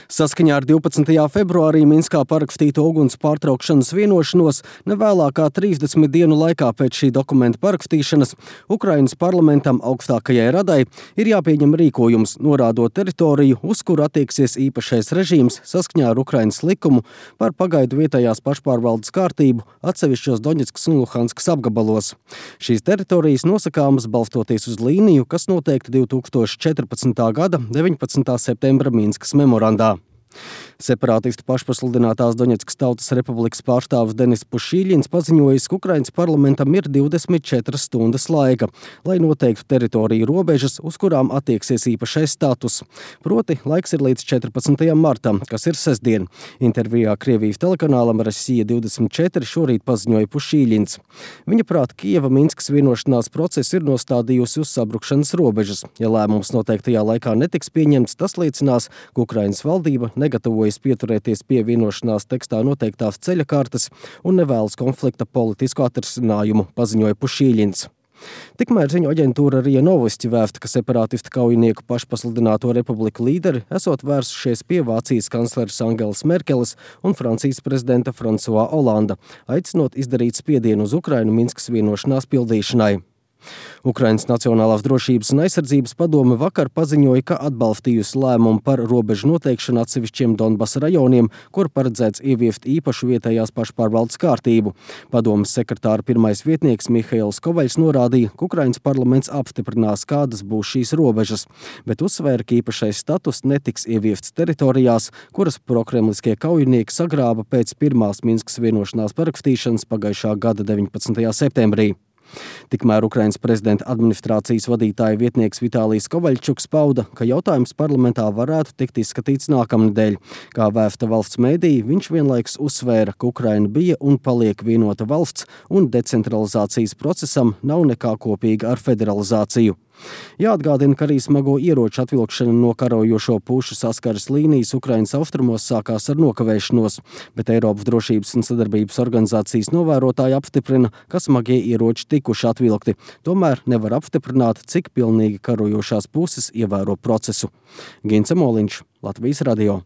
Saskaņā ar 12. februārī Minskā parakstīto uguns pārtraukšanas vienošanos nevēlākā 30 dienu laikā pēc šī dokumenta parakstīšanas Ukrainas parlamentam augstākajai radai ir jāpieņem rīkojums, norādot teritoriju, uz kuru attieksies īpašais režīms saskaņā ar Ukrainas likumu par pagaidu vietējās pašpārvaldes kārtību atsevišķos Doņetskas un Luhanskas apgabalos. Šīs teritorijas nosakāmas balstoties uz līniju, kas noteikta 2014. gada 19. septembra Minskas memorandā. Separātistu pašpasludinātās Doņetskas Tautas Republikas pārstāvis Denis Pušīļins paziņojis, ka Ukrainas parlamentam ir 24 stundas laika, lai noteiktu teritoriju robežas, uz kurām attieksies īpašais status. Proti, laiks ir līdz 14. martam, kas ir sestdien. Intervijā Krievijas telekanālam Rasija 24 šorīt paziņoja Pušīļins. Viņa prāt, Kijeva Minskas vienošanās procesu ir nostādījusi uz sabrukšanas robežas. Ja lēmums noteiktajā laikā netiks pieņemts, tas liecinās, ka Ukrainas valdība negatavojas pieturēties pie vienošanās tekstā noteiktās ceļa kartes un nevēlas konflikta politisku atrisinājumu, paziņoja Pušīļins. Tikmēr ziņu aģentūra RIA Novosti vēsta, ka separātistu kaujinieku pašpasludināto republiku līderi esot vērsušies pie Vācijas kancleres Angelas Merkeles un Francijas prezidenta François Hollanda, aicinot izdarīt spiedienu uz Ukrainu Minskas vienošanās pildīšanai. Ukrainas Nacionālās drošības un aizsardzības padome vakar paziņoja, ka atbalstījusi lēmumu par robežu noteikšanu atsevišķiem Donbasa rajoniem, kur paredzēts ieviest īpašu vietējās pašpārvaldes kārtību. Padomes sekretāra pirmais vietnieks Mihails Kovaļs norādīja, ka Ukrainas parlaments apstiprinās, kādas būs šīs robežas, bet uzsvēra, ka īpašais status netiks ieviests teritorijās, kuras prokremliskie kaujinieki sagrāba pēc pirmās Minskas vienošanās parakstīšanas pagājušā gada 19. septembrī. Tikmēr Ukrainas prezidenta administrācijas vadītāja vietnieks Vitālijs Kovaļčuks pauda, ka jautājums parlamentā varētu tikt izskatīts nākamnedēļ. Kā vēsta valsts mēdī, viņš vienlaikus uzsvēra, ka Ukraina bija un paliek vienota valsts un decentralizācijas procesam nav nekā kopīga ar federalizāciju. Jāatgādina, ka arī smago ieroču atvilkšana no karojošo pušu saskares līnijas Ukrainas austrumos sākās ar nokavēšanos, bet Eiropas drošības un sadarbības organizācijas novērotāji apstiprina, ka smagie ieroči tikuši atvilkti. Tomēr nevar apstiprināt, cik pilnīgi karojošās puses ievēro procesu. Gince Moliņš, Latvijas radio.